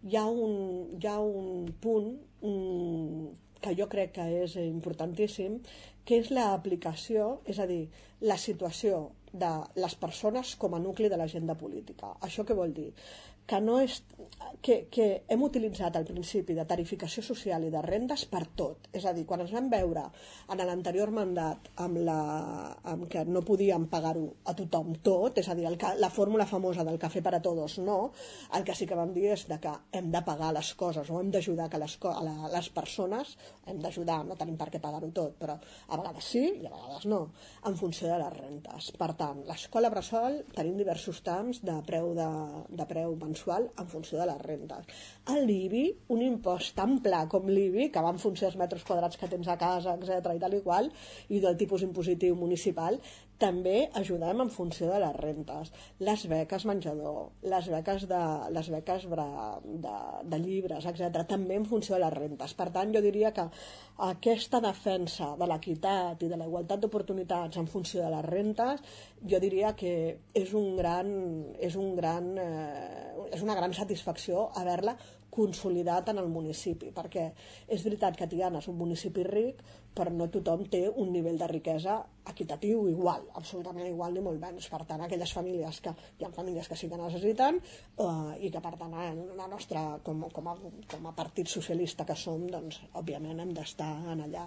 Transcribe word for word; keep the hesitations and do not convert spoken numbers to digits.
hi ha un, hi ha un punt um, que jo crec que és importantíssim, que és l'aplicació, és a dir, la situació de les persones com a nucli de l'agenda política. Això què vol dir? Que, no és, que, que hem utilitzat el principi de tarificació social i de rendes per tot. És a dir, quan ens vam veure en l'anterior mandat amb, la, amb que no podíem pagar-ho a tothom tot, és a dir, el, la fórmula famosa del cafè per a tots, no, el que sí que vam dir és de que hem de pagar les coses o hem d'ajudar que les, a la, les persones, hem d'ajudar, no tenim per què pagar-ho tot, però a vegades sí i a vegades no, en funció de les rentes. Per tant, l'escola bressol tenim diversos trams de preu, de, de preu mensual en funció de les rentes. El l'I B I, un impost tan pla com l'I B I, que va en funció dels metres quadrats que tens a casa, etcètera i tal i qual, i del tipus impositiu municipal, també ajudem en funció de les rentes. Les beques menjador, les beques de, les beques de, de, de llibres, etcètera, també en funció de les rentes. Per tant, jo diria que aquesta defensa de l'equitat i de la igualtat d'oportunitats en funció de les rentes, jo diria que és un gran, és un gran, eh, és una gran satisfacció haver-la consolidat en el municipi, perquè és veritat que Tiana és un municipi ric, però no tothom té un nivell de riquesa equitatiu igual, absolutament igual ni molt menys. Per tant, aquelles famílies que hi ha famílies que sí que necessiten eh, i que per tant la nostra, com, com, a, com a partit socialista que som, doncs òbviament hem d'estar en allà.